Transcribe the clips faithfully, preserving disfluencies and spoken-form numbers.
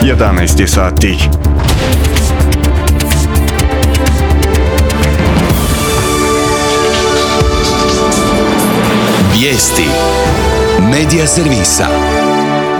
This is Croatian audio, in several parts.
jedanaest je sati. Vijesti Medija servisa.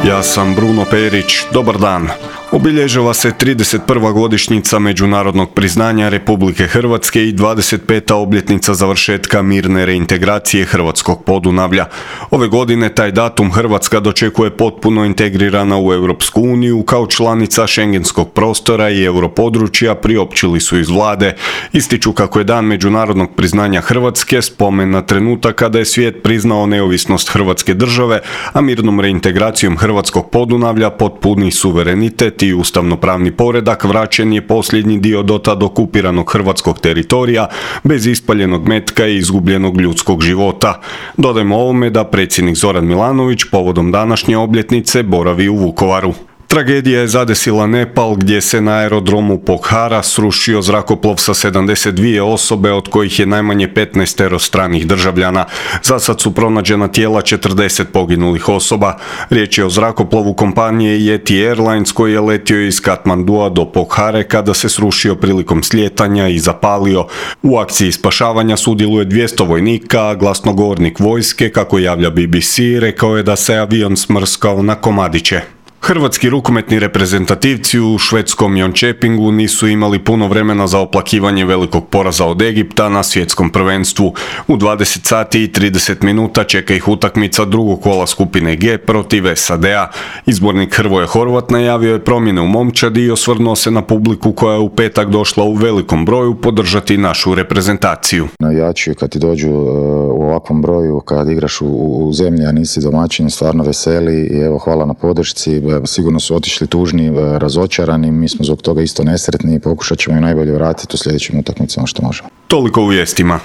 Ja sam Bruno Perić, dobar dan. Obilježava se trideset prva godišnjica međunarodnog priznanja Republike Hrvatske i dvadeset peta obljetnica završetka mirne reintegracije hrvatskog Podunavlja. Ove godine taj datum Hrvatska dočekuje potpuno integrirana u Europsku uniju kao članica šengenskog prostora i europodručja, priopćili su iz vlade. Ističu kako je dan međunarodnog priznanja Hrvatske spomen na trenutak kada je svijet priznao neovisnost Hrvatske države, a mirnom reintegracijom hrvatskog Podunavlja potpuni suverenitet i ustavnopravni poredak vraćen je posljednji dio dotad okupiranog hrvatskog teritorija bez ispaljenog metka i izgubljenog ljudskog života. Dodajmo ovome da predsjednik Zoran Milanović povodom današnje obljetnice boravi u Vukovaru. Tragedija je zadesila Nepal gdje se na aerodromu Pokhara srušio zrakoplov sa sedamdeset dvije osobe, od kojih je najmanje petnaest stranih državljana. Za sad su pronađena tijela četrdeset poginulih osoba. Riječ je o zrakoplovu kompanije Yeti Airlines koji je letio iz Katmandua do Pokhare kada se srušio prilikom slijetanja i zapalio. U akciji spašavanja sudjeluje dvjesto vojnika, a glasnogovornik vojske, kako javlja B B C, rekao je da se avion smrskao na komadiće. Hrvatski rukometni reprezentativci u švedskom Jönköpingu nisu imali puno vremena za oplakivanje velikog poraza od Egipta na svjetskom prvenstvu. U dvadeset sati i trideset minuta čeka ih utakmica drugog kola skupine G protiv S A D-a. Izbornik Hrvoje Horvat najavio je promjene u momčadi i osvrnuo se na publiku koja je u petak došla u velikom broju podržati našu reprezentaciju. Navijači kad ti dođu u ovakvom broju, kad igraš u, u zemlji, a nisi domaćin, stvarno veseli i evo hvala na podršci. Sigurno su otišli tužni, razočarani, mi smo zbog toga isto nesretni i pokušat ćemo i najbolje vratiti u sljedećim utakmicama što možemo. Toliko u vijestima.